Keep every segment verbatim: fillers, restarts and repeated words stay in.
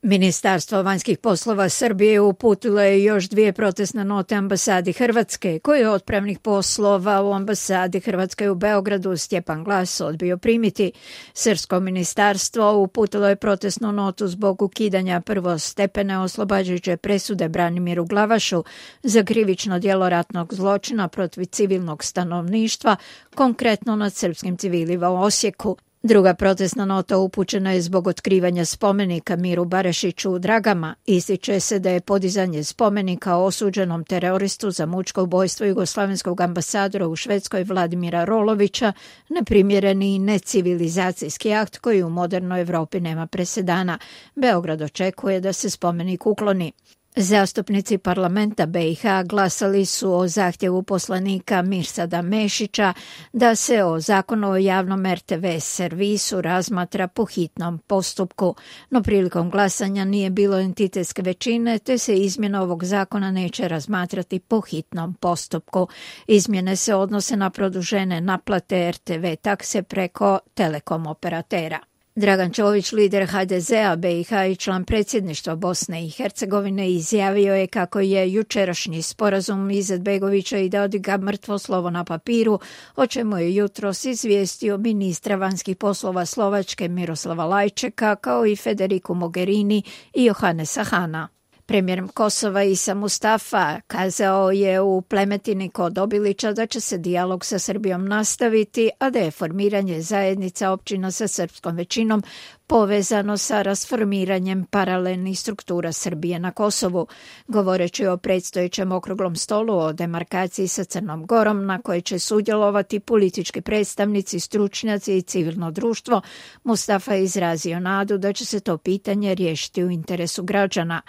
Ministarstvo vanjskih poslova Srbije uputilo je još dvije protestne note ambasadi Hrvatske, koje je otpravnik poslova u ambasadi Hrvatske u Beogradu Stjepan Glas odbio primiti. Srpsko ministarstvo uputilo je protestnu notu zbog ukidanja prvostepene oslobađajuće presude Branimiru Glavašu za krivično djelo ratnog zločina protiv civilnog stanovništva, konkretno nad srpskim civilima u Osijeku. Druga protestna nota upućena je zbog otkrivanja spomenika Miru Barašiću u Dragama. Ističe se da je podizanje spomenika osuđenom teroristu za mučko ubojstvo jugoslavenskog ambasadora u Švedskoj Vladimira Rolovića neprimjereni i necivilizacijski akt koji u modernoj Evropi nema presedana. Beograd očekuje da se spomenik ukloni. Zastupnici parlamenta B i H glasali su o zahtjevu poslanika Mirsada Mešića da se o zakonu o javnom R T V servisu razmatra po hitnom postupku, no prilikom glasanja nije bilo entitetske većine, te se izmjena ovog zakona neće razmatrati po hitnom postupku. Izmjene se odnose na produžene naplate R T V takse preko telekom operatera. Dragan Čović, lider H D Z-a B i H i član predsjedništva Bosne i Hercegovine, izjavio je kako je jučerašnji sporazum Izetbegovića i Dodika mrtvo slovo na papiru, o čemu je jutros izvijestio ministra vanjskih poslova Slovačke Miroslava Lajčeka, kao i Federiku Mogherini i Johannesa Hana. Premijer Kosova Isa Mustafa kazao je u Plemetini kod Obilića da će se dijalog sa Srbijom nastaviti, a da je formiranje zajednica općina sa srpskom većinom povezano sa rasformiranjem paralelnih struktura Srbije na Kosovu. Govoreći o predstojećem okruglom stolu o demarkaciji sa Crnom Gorom, na kojoj će sudjelovati politički predstavnici, stručnjaci i civilno društvo, Mustafa je izrazio nadu da će se to pitanje riješiti u interesu građana.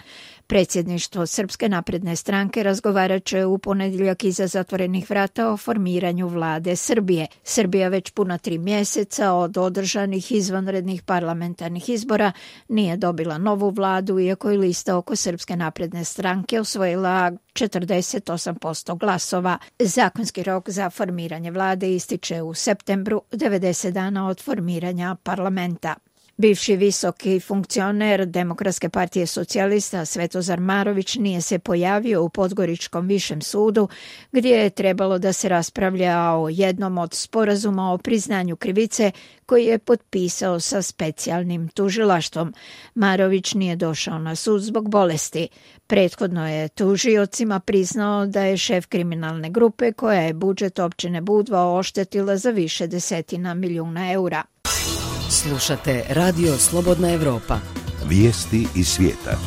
Predsjedništvo Srpske napredne stranke razgovarat će u ponedjeljak iza zatvorenih vrata o formiranju vlade Srbije. Srbija već puna tri mjeseca od održanih izvanrednih parlamentarnih izbora nije dobila novu vladu, iako je lista oko Srpske napredne stranke osvojila četrdeset osam posto glasova. Zakonski rok za formiranje vlade ističe u septembru, devedeset dana od formiranja parlamenta. Bivši visoki funkcioner Demokratske partije socijalista Svetozar Marović nije se pojavio u Podgoričkom višem sudu, gdje je trebalo da se raspravlja o jednom od sporazuma o priznanju krivice koji je potpisao sa specijalnim tužilaštvom. Marović nije došao na sud zbog bolesti. Prethodno je tužiocima priznao da je šef kriminalne grupe koja je budžet općine Budva oštetila za više desetina milijuna eura. Slušate Radio Slobodna Evropa. Vijesti iz svijeta.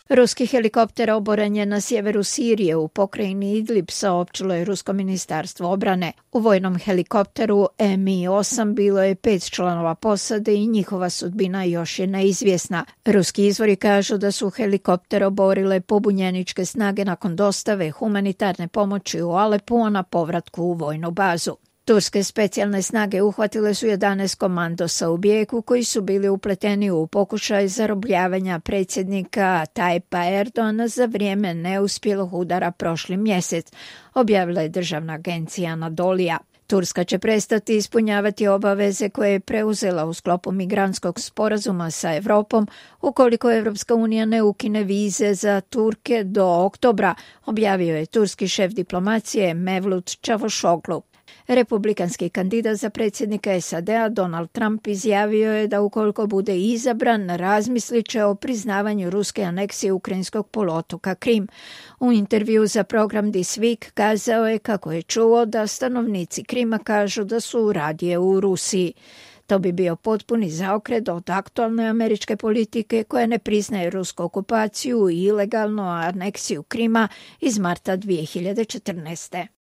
Ruski helikopter oboren je na sjeveru Sirije u pokrajini Idlib, saopćilo je Rusko ministarstvo obrane. U vojnom helikopteru M I osam bilo je pet članova posade i njihova sudbina još je neizvjesna. Ruski izvori kažu da su helikopter oborile pobunjeničke snage nakon dostave humanitarne pomoći u Alepu, a na povratku u vojnu bazu. Turske specijalne snage uhvatile su jedanaest komandosa u Bijeku koji su bili upleteni u pokušaj zarobljavanja predsjednika Tajpa Erdogana za vrijeme neuspjelog udara prošli mjesec, objavila je državna agencija Anadolija. Turska će prestati ispunjavati obaveze koje je preuzela u sklopu migrantskog sporazuma sa Evropom ukoliko Evropska unija ne ukine vize za Turke do oktobra, objavio je turski šef diplomacije Mevlut Čavošoglu. Republikanski kandidat za predsjednika S A D-a Donald Trump izjavio je da ukoliko bude izabran, razmislit će o priznavanju ruske aneksije ukrajinskog poluotoka Krim. U intervju za program This Week kazao je kako je čuo da stanovnici Krima kažu da su radije u Rusiji. To bi bio potpuni zaokret od aktualne američke politike koja ne priznaje rusku okupaciju i ilegalnu aneksiju Krima iz marta dvije hiljade četrnaeste.